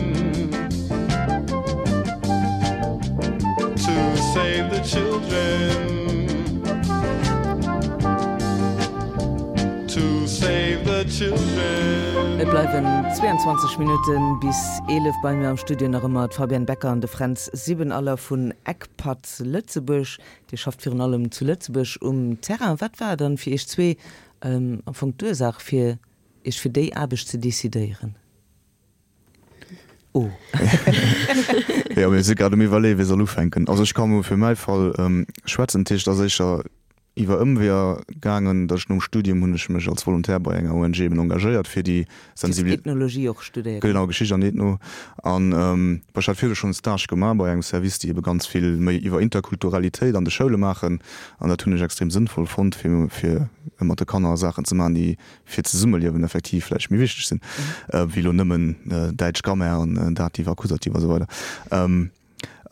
To save the children. To save the children. Et bleiwen zweiundzwanzeg Minutte bis eelef. Bei mir am Studio nach ëmmer d'Fabienne Becker an de Fränz Siebenaller vun ECPAT Lëtzebuerg. Dir schafft virun allem zu Lëtzebuerg um Terrain. Wat war dann fir iech zwee am Fong d'Ursaach fir iech fir déi Aarbecht ze decidéieren? Oh. Jo, mir si grad um Iwwerleeën, wie soll ufänken. Also ech ka mol fir mäi Fall schwätzen. Dat heescht, et ass éischter iwwer Ëmweeër gaangen, datt ech nom Studium hunn ech mech als Volontaire bei enger O N G eben engagéiert fir déi Sensibilis. Ethnologie och studéiert. Genau, Geschicht an Ethno. An bon, ech hat virdu schonn e Stage gemaach bei engem Service, déi ebe ganz vill méi iwwer Interkulturalitéit an de Schoule maachen. An dat hunn ech extrem sënnvoll fonnt, fir fir mat de Kanner Saachen ze maachen, déi fir d'Zesummeliewen effektiv vläicht méi wichteg sinn, wéi elo nëmmen däitsch Grammaire an Dativ, Akkusativ a sou weider.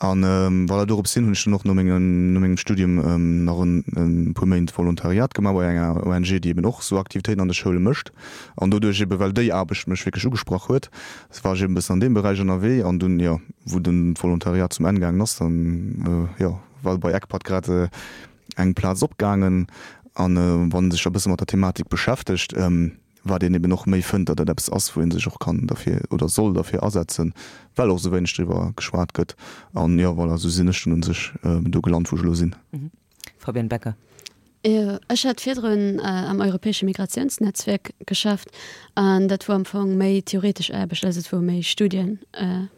An voilà, dorops hin hunn ech dann och no mengem, no mengem Studium nach en e puer Méint Volontariat gemaach bei enger O N G, déi eben och sou Aktivitéiten an de Schoule mécht. An doduerch eben, well déi Aarbecht mech wierklech ugesprach huet, war ech eben e bëssen an deem Beräich ënnerwee. An dunn, jo, wou den Volontariat zum Enn gaangen ass, dann, jo, war bei ECPAT grad eng Plaz opgaangen. An wann ee sech e bësse mat der Thematik beschäftegt, wat een eben och méi fënnt, datt dat eppes ass, wou ee sech och kann derfir oder soll derfir asetzen, well och esou wéineg driwwer geschwat gëtt. An jo, voilà, esou sinn ech dunn u sech do gelant, wou ech elo sinn. Fabienne Becker. Jo, ech hat virdrun am europäesche Migratiounsnetzwerk geschafft an dat wor am Fong méi theoretesch Aarbecht, also et wor méi Studien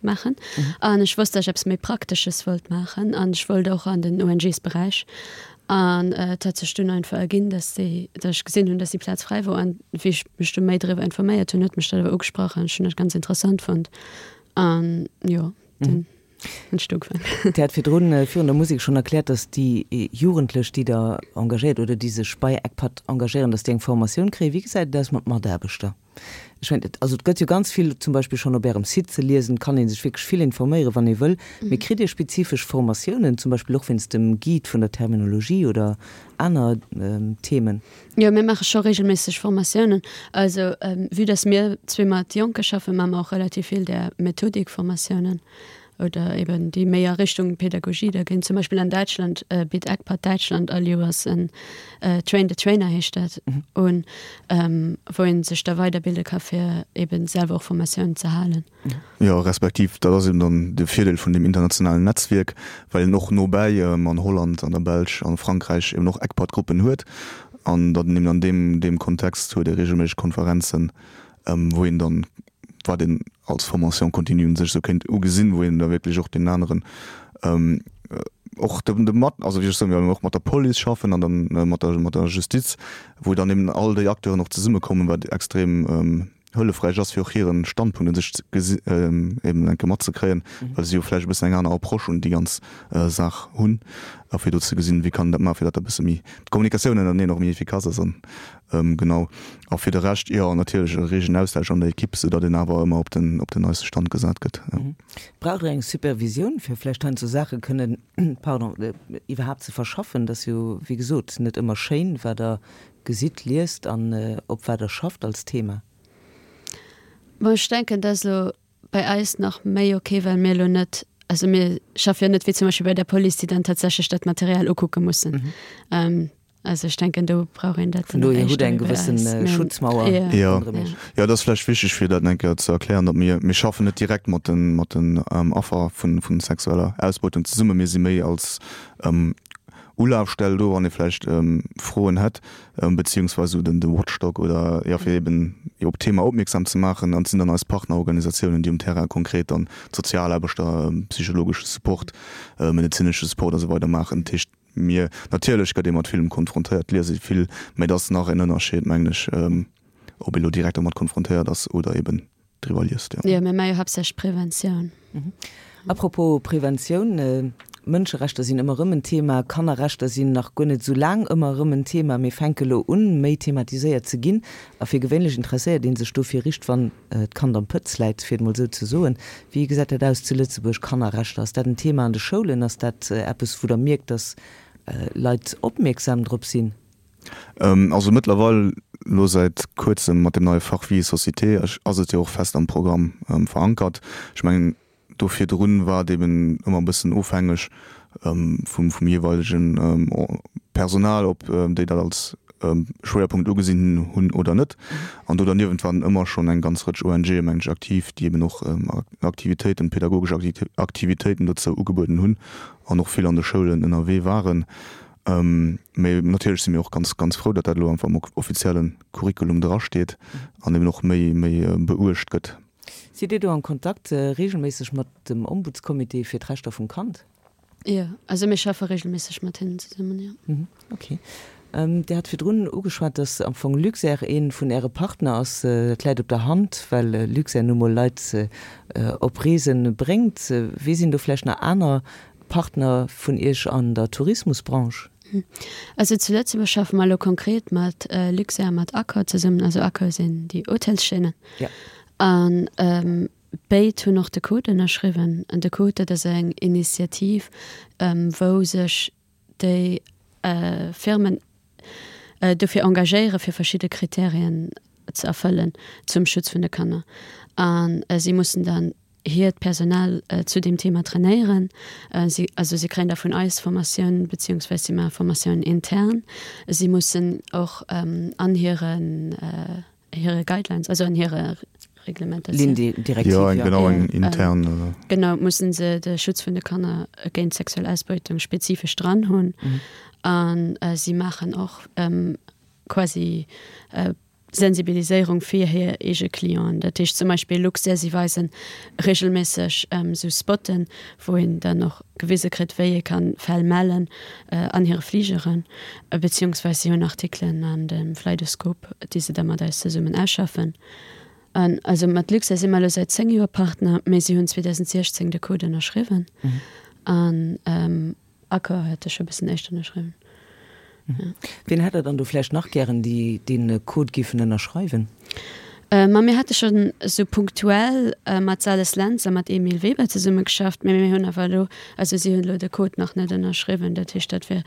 maachen an ech wosst, datt ech eppes méi Praktesches wollt maachen an ech wollt och an den ONGs-Beräich an et hat sech dunn einfach erginn, datt déi, datt ech gesinn hunn, datt déi Plaz fräi wor an wéi ech mech du méi driwwer informéiert hunn, huet mech dat awer ugesprach an ech hunn dat ganz interessant fonnt an jo, dunn. Hunn ech do ugefaangen. Dir hat virdrun, virun der Musek schonn erkläert, dass déi Jugendlech, déi Der engagéiert oder déi sech bei ECPAT engagéieren, dass déi eng Formatioun kréien. Wéi gesäit et aus mat Mataarbechter? Ech mengen, et, also et gëtt jo ganz vill zum Beispill schonn op Ärem Site ze liesen, et kann ee sech wierklech vill informéieren, wann ee wëll. Mee kritt Dir spezifesch Formatiounen, zum Beispill och wéinst dem Guide vun der Terminologie oder aner Themen? Jo, mir maache scho reegelméisseg Formatiounen. Also vue dass mir zwee mat Jonke schaffen, maache mer och relativ vill där Methodikformatiounen. oder eben déi méi a Richtung Pädagogie da ginn. Zum Beispill an Däitschland bitt ECPAT Däitschland all Joers en Train the Trainer heescht dat un, wou ee sech da weiderbilde ka fir eben selwer och Formatiounen ze halen. Jo, respektiv dat ass eben dann de Virdeel vun deem internationalen Netzwierk, well een och nobäi an Holland, an der Belsch, a Frankräich eben och ECPAT-Gruppen huet an datt een eben an deem deem Kontext huet ee reegelméisseg Konferenzen, wou een dann wat een als Formation continue un sech esou kéint ugesinn, wou een da wierklech och deenen aneren och de de mat, also wéi ech soen, well mir och mat der Police schaffen an dann mat der mat der Justiz, wou dann eben all déi Acteuren och zesummekommen, wat extrem hëllefräich ass, fir och hiren Standpunkt un sech ze gesi eben eng Kéier matzekréien, well si jo vläicht e bëssen eng aner Approche un déi ganz Saach hunn a fir do ze gesinn, wéi kann een dat maachen, fir datt dat e bësse méi d'Kommunikatioun ënnerteneen och méi efficace ass an Genau. A fir de Rescht, jo, natierlech e reegen Austausch an der Ekipp, sou datt een awer ëmmer op den, op den neiste Stand gesat gëtt, jo. Braucht Der eng Supervisioun, fir vläicht heiansdo Saache kënnen, pardon, iwwerhaapt ze verschaffen? Dat ass jo, wéi gesot, net ëmmer schéin, wat Der gesitt, liest an op wat Der schafft als Thema. Bon, ech denken, dat ass elo bei eis nach méi ok, well mir elo net, also mir schaffe jo net wéi zum Beispill bei der Police, déi dann tatsächlech dat Material ukucke mussen. Also ech denken, do brauch een dat dann nach éischter wéi bei eis. Vun dohier hutt eng gewëssen Schutzmauer ronderëm Iech. Jo, dat ass vläicht wichteg, fir dat eng Kéier ze erklären, datt mir, mir schaffen net direkt mat de, mat den Affer vu sexueller Ausbeutung zesummen. Mir si méi als Ulafstell do, wann ee vläicht Froen hätt, beziehungsweise esou den, de Watchdog oder, jo, fir eben op d'Thema opmierksam ze maachen. An et sinn dann eis Partnerorganisatiounen, déi um Terrain konkret dann d'Sozialaarbechter, psychologesche Support, medezinesche Support a sou weider maachen. Dat heescht, Mir, natierlech gëtt ee mat villem konfrontéiert, liese vill, mä et ass nach en Ënnerscheed, mengen ech, ob ee lo direkt domat konfrontéiert ass oder eben driwwer liest, jo. Jo, mir maache jo haaptsächlech Preventioun. A propos Preventioun, Mënscherechter sinn ëmmer erëm en Thema, Kannerrechter sinn nach guer net esou laang ëmmer erëm en Thema, mee fänke lo un, méi thematiséiert ze ginn. A fir gewéinlech interesséiert ee sech dofir richt, wann d'Kand am Pëtz läit, fir et mol esou ze soen. Wéi gesäit dat aus zu Lëtzebuerg, Kannerrechter? Ass dat en Thema an de Schoulen? Ass dat eppes, wou Der mierkt, dass Leit opmierksam drop sinn? Also mëttlerweil, elo säit kuerzem mat dem neie Fach Vie et société, ass et jo och fest am Programm verankert. Ech mengen, Do virdrun war et eben ëmmer e bëssen ofhängeg vum vum jeeweilege Personal, ob déi dat als Schwéierpunkt ugesinn hunn oder net. An do derniewent waren ëmmer schonn eng ganz Rëtsch ONGe meng ech aktiv, déi eben och Aktivitéiten, pedagogesch Aktivitéiten dozou ugebueden hunn an och vill an de Schoulen ënnerwee waren. Mee natierlech si mir och ganz, ganz frou, datt dat elo einfach am offizielle Curriculum drasteet an eben och méi, méi beuecht gëtt. Sidd Dir do am Kontakt regelméisseg mat dem Ombudscomité fir d'Rechter vum Kand? Jo, also mir schaffe regelméisseg mat hinnen zesummen, jo. Ok. Dir hat virdrun ugeschwat, dass am Fong Luxair ee vun Äre Partner ass. Dat läit op der Hand, well Luxair nu mol Leit op Reese bréngt. Wie sinn do vläicht nach aner Partner vun Iech an der Tourismusbranche? Also zu Lëtzebuerg schaffe mer elo konkret mat Luxair a mat Accor zesummen. Also Accor sinn déi Hotelschaînen. A béid hunn och de Code ënnerschriwwen. An de Code, dat ass eng Initiativ, wou sech déi Firmen dofir engagéieren, fir verschidde Kriterien ze erfëllen zum Schutz vun de Kanner. A si mussen dann hiert Personal zu deem Thema trainéieren. Si, also si kréien da vun eis Formatioun, beziehungsweise si maache Formatioun intern. Si mussen och an hiren hire Guidelines, also an hire Reglementatioun. Ligne directive, jo. Jo, genau, eng intern. Genau, mussen se de Schutz vun de Kanner géint sexuell Ausbeutung spezifesch dran hunn. An si maachen och quasi Sensibiliséierung fir hir eege Clienten. Dat heescht zum Beispill Luxair, si weise reegelméisseg esou Spotten, wou een dann och gewise kritt, wéi ee ka Fäll mellen an hire Fligeren, beziehungsweis si hunn Artikelen an dem Flightoscope, déi se da mat eis zesummen ausschaffen. An also mat Luxair si mer elo säit zéng Joer Partner, mee si hunn zweedausendsechzéng de Code ënnerschriwwen. An Accor huet e scho e bëssen éischter ënnerschriwwen. Wien hätt Der dann do vläicht nach gären, déi dee Code géifen ënnerschreiwen? Ma mir hate schonn esou punktuell mat Sales Lentz a mat Emile Weber zesummegeschafft, mee mir hunn awer elo, also si hunn elo de Code nach net ënnerschriwwen. Dat heescht, dat wier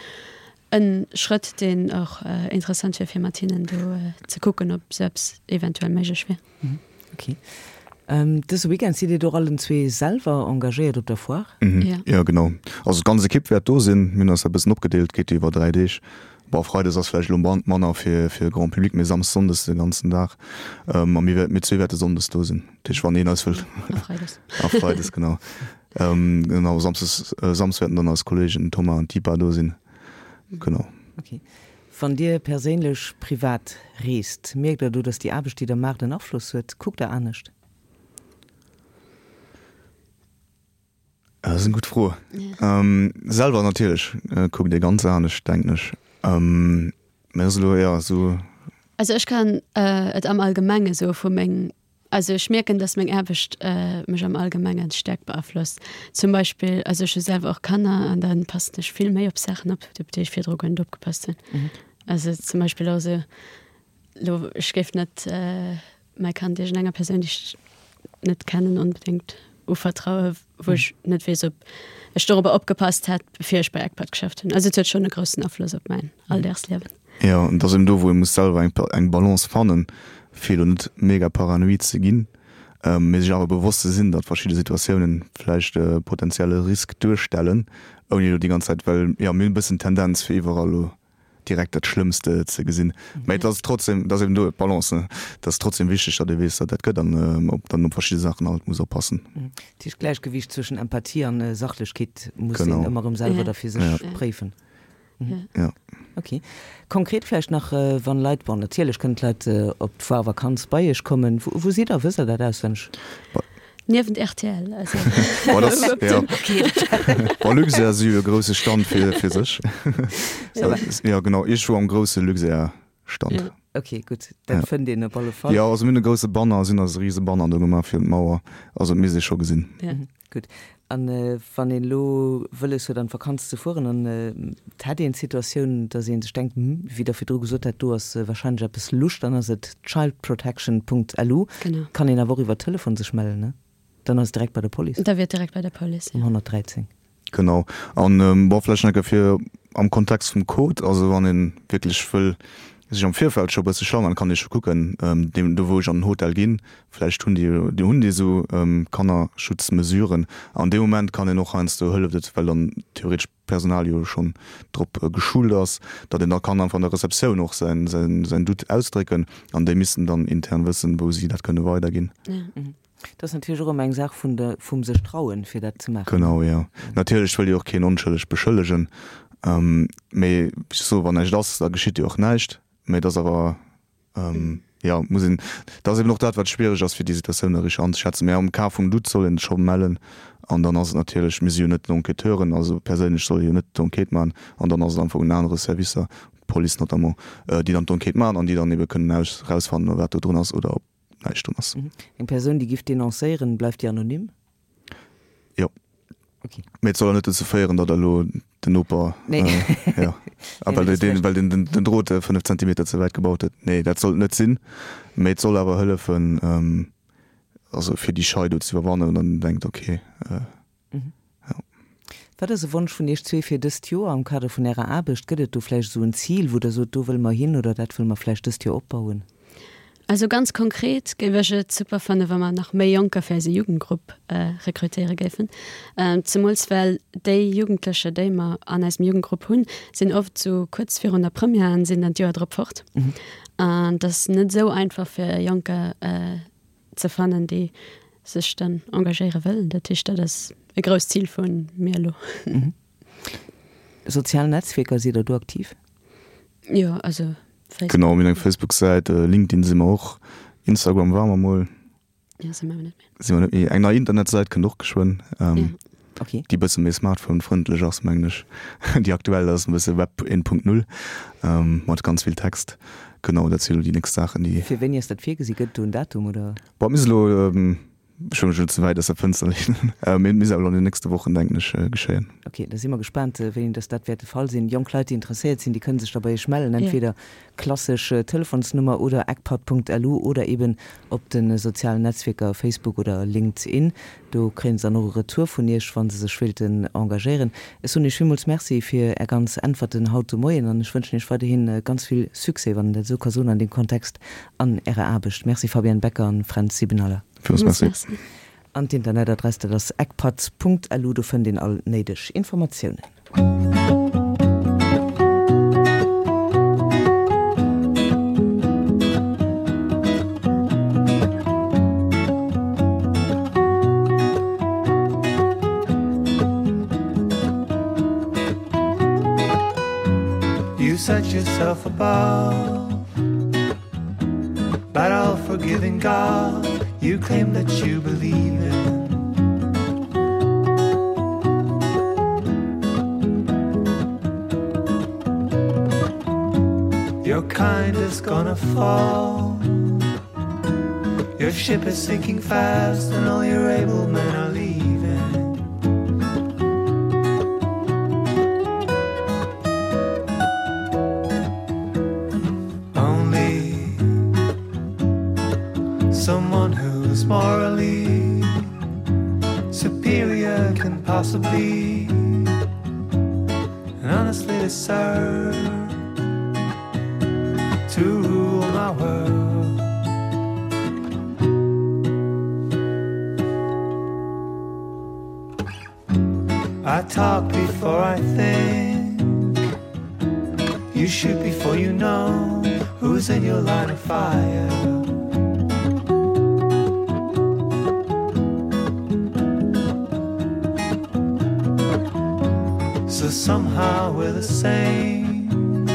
e Schrëtt, deen och interessant wier, fir mat hinnen do ze kucken, ob esou eppes eventuell méiglech wier. Ok. Dëse Weekend sidd Dir och allen zwee selwer engagéiert op der Foire? Jo. Jo, genau. Also d'ganz Ekipp wäert do sinn. Mir hunn eis da e bëssen opgedeelt, geet jo iwwer dräi Deeg. Bon, Freides ass vläicht elo manner fir fir de Grand Public, mee Samsdes, Sonndes de ganzen Dag. A mir mir zwee wäerte Sonndes do sinn. Dat heescht, wann een eis wëllt. A Freides. A Freides, genau. Genau, Samsdes, Samsdes wäerten dann eis Kolleegen Thomas an d'Ipa do sinn. Genau. Ok. Wann Dir perséinlech privat reest, mierkt Der do, datt déi Aarbecht, déi Der maacht, en Afloss huet? Kuckt Der anescht? Dat ass eng gutt Fro. Selwer natierlech kuckt ee ganz anescht, denken ech. Mä ass elo, jo, esou. Also ech kann et am Allgemenge soe vu meng, also ech mierken, datt meng Aarbecht mech am Allgemenge staark beaflosst. Zum Beispill, also ech hu selwer och Kanner an da passen ech vill méi op Saachen op, op déi ech virdru guer net opgepasst hunn. Also zum Beispill och esou, elo ech géif net mäi Kand iergendenger Persoun, déi ech net kennen, onbedéngt uvertraue wou ech net weess, ob ech dorobber opgepasst hätt, bevir ech bei ECPAT geschafft hunn. Also et huet schonn e groussen Afloss op mäin Alldagsliewen. Jo, an et ass eben do, wou ee muss selwer eng eng Balance fannen, fir elo net mega paranoid ze ginn, mee sech awer bewosst ze sinn, datt verschidde Situatiounen vläicht e potenzielle Risk duerstellen, ouni elo déi ganz Zäit, well jo, mir hunn e bëssen d'Tendenz fir iwwerall elo direkt dat Schlëmmste ze gesinn. Mä et ass trotzdem, et ass eben do d'Balance, ne? Et ass trotzdem wichteg, datt ee weess, datt dat gëtt an op dann op verschidde Saachen alt muss oppassen. Dat heescht, d'Gläichgewiicht zwëschen Empathie an Sachlechkeet muss een ëmmer erëm selwer da fir sech préifen. Jo. Ok. Konkret vläicht nach, wann Leit, bon natierlech kënnen d'Leit op d'Foire Vakanz bei Iech kommen, wou sidd Der? Wësst Der dat auswenneg? Niewent rtl, also. Bon, das, ja. Bon, Luxair si jo e grousse Stand fir, fir sech. Ja, genau, ech wor am grousse Luxair-Stand. Ja. Ok, gutt, dat ja. fënnt een op alle Fall. Ja, also mir hunn e grousse Banner, si hunn eis e rise Banner do gemaach fir un d'Mauer, also et misst ee scho gesinn. Ja. Mhm, gutt. An wann een elo wëlles huet an d'Vakanz ze fueren an et hätt een d'Situatioun, datt ee sech denkt, hm, wéi Der virdru gesot hat, do ass warscheinlech eppes lusch, dann ass et childprotection.lu. Genau. Kann een awer och iwwer Telefon sech mellen, ne? Dann ass et direkt bei der Police. Da wier et direkt bei der Police, ja. Um honnertdräizéng. Genau. An, bon, vläicht nach eng Kéier fir am Kontext vum Code, also wann ee wierklech wëll sech am Virfeld scho e bësse schlau maachen, kann ee scho kucken, deem do wou ech an den Hotel ginn, vläicht hunn déi, déi hunn déi esou Kannerschutzmesuren. An deem Moment kann een och heiansdo, hëlleft et, well dann theoretesch d'Personal jo schonn drop geschult ass, datt een da kann einfach an der Receptioun och säin, säin, säin Doute ausdrécken an déi missten dann intern wëssen, wou si dat kënne weiderginn. Dat ass natierlech och ëmmer eng Saach vun der, vum sech trauen, fir dat ze maachen. Genau, jo. Natierlech wëll jo och keen onschëlleg beschëllegen, mee wéi ech soen, wann näischt ass, da geschitt jo och näischt. Mee et ass awer, jo, muss een, dat ass eben och dat, wat schwiereg ass, fir déi Situatioun da richteg anzeschätzen. Mee am Cas vum Doute soll een et scho mellen an dann ass et natierlech, mir si jo net d'Enquêteuren, also perséinlech soll ee jo net d'Enquête maachen an dann ass et einfach un anere Servicer, d'Police notamment, déi dann d'Enquête maachen an déi dann ebe kënnen aus, erausfannen, wat do drun ass oder ob näischt drun ass. Eng Persoun, déi giff denoncéieren, bleift déi anonym? Jo. Okay. Mee et soll awer net dozou féieren, datt elo den Noper, Nee. jo, a well Nee, deen, well deen den, den Drot fënnef Zentimeter ze wäit gebaut huet. Nee, dat soll et net sinn. Mee et soll awer hëllefen, also fir déi Schei do ze iwwerwannen an dann denkt, okay, jo. Wat ass e Wonsch vun Iech zwee fir dëst Joer am Kader vun Ärer Aarbecht? Gëtt et do vläicht esou en Zil, wou Der sot, do wëlle mer hin oder dat wëlle mer vläicht dëst Joer opbauen? Also ganz konkret géif ech et super fannen, wa mer nach méi Jonker fir eise Jugendgrupp rekrutéiere géifen. Zemools well déi Jugendlecher, déi mer an eisem Jugendgrupp hunn, sinn oft esou kuerz virun der Première an sinn dann d'Joer drop fort. An et ass net esou einfach fir Jonker ze fannen, déi sech dann engagéiere wëllen. Dat heescht, dat ass e grousst Zil vu mir elo. Sozial Netzwierker, sidd der do aktiv? Jo, also Facebook. Genau, mir hunn eng Facebook-Säit, LinkedIn si mer och, Instagram ware mer mol. Jo, si mer awer net méi. Si mer net méi. Eng nei Internetsäit kënnt och geschwënn, Ja. Okay. déi e bësse méi smartphone-frëndlech ass, mengen ech. Déi aktuell ass e bësse Web eent Punkt null, mat ganz vill Text. Genau, dat si elo déi nächst Saachen, déi. Fir wéini ass dat virgesi? Gëtt et do en Datum, oder? Bon, et misst elo, ech wëll mech elo ze wäit aus der Fënster leenen, mee et misst awer elo an den nächste Wochen, denken ech, geschéien. Ok, da si mer gespaant, wéini dass dat wäert de Fall sinn. Jonk Leit, déi interesséiert sinn, déi kënne sech da bei Iech mellen, entweder klassesch Telefonsnummer oder ecpat.lu oder eben op de sozialen Netzwierker Facebook oder LinkedIn. Do kréien se dann och e Retour vun Iech, wa se sech wéilten engagéieren. Ech soen Iech villmools Merci fir Är ganz Äntwerten haut de Moien an ech wënschen Iech weiderhi ganz vill Succès, wann een dat esou ka soen an deem Kontext, an Ärer Aarbecht. Merci Fabienne Becker an Fränz Siebenaller. Villmools Merci. An d'Internetadress, dat ass ecpat.lu, do fënnt een all néideg Informatiounen. You set yourself above That all forgiving God you claim that you believe in. Your kind is gonna fall. Your ship is sinking fast and all your able men are leaving. Only someone who's morally superior can possibly and honestly deserve to rule my world. I talk before I think You shoot before you know who's in your line of fire. So somehow we're the same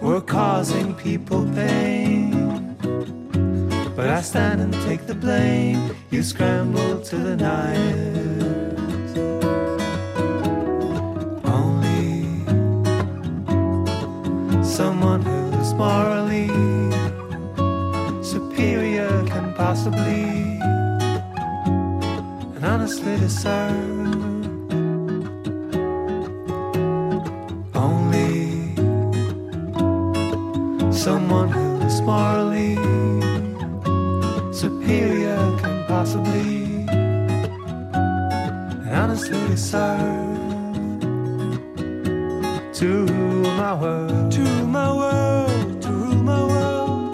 We're causing people pain But I stand and take the blame You scramble to the night Only someone who's morally superior can possibly and honestly discern Only someone who's morally superior can possibly and honestly deserve to rule my world to rule my world to rule my world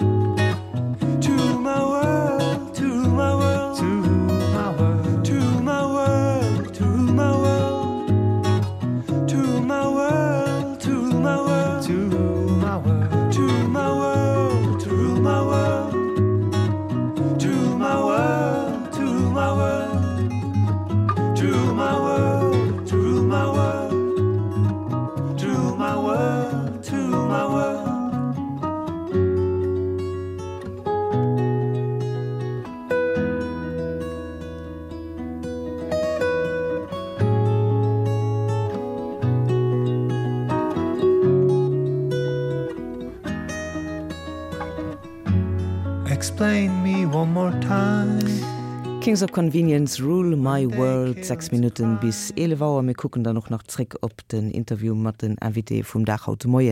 to rule my world to rule my world to rule my world to rule my world to rule my world to rule my world to rule my world to rule my world to rule my world to rule my world to rule my world to rule my world to rule my world to rule my world to rule my world to rule my world Explain me one more time. Kings of Convenience, Rule My World, sechs Minutten bis eelef Auer. Mir kucken dann och nach zréck op den Interview mat den Invitéë vum Dag haut de Moien.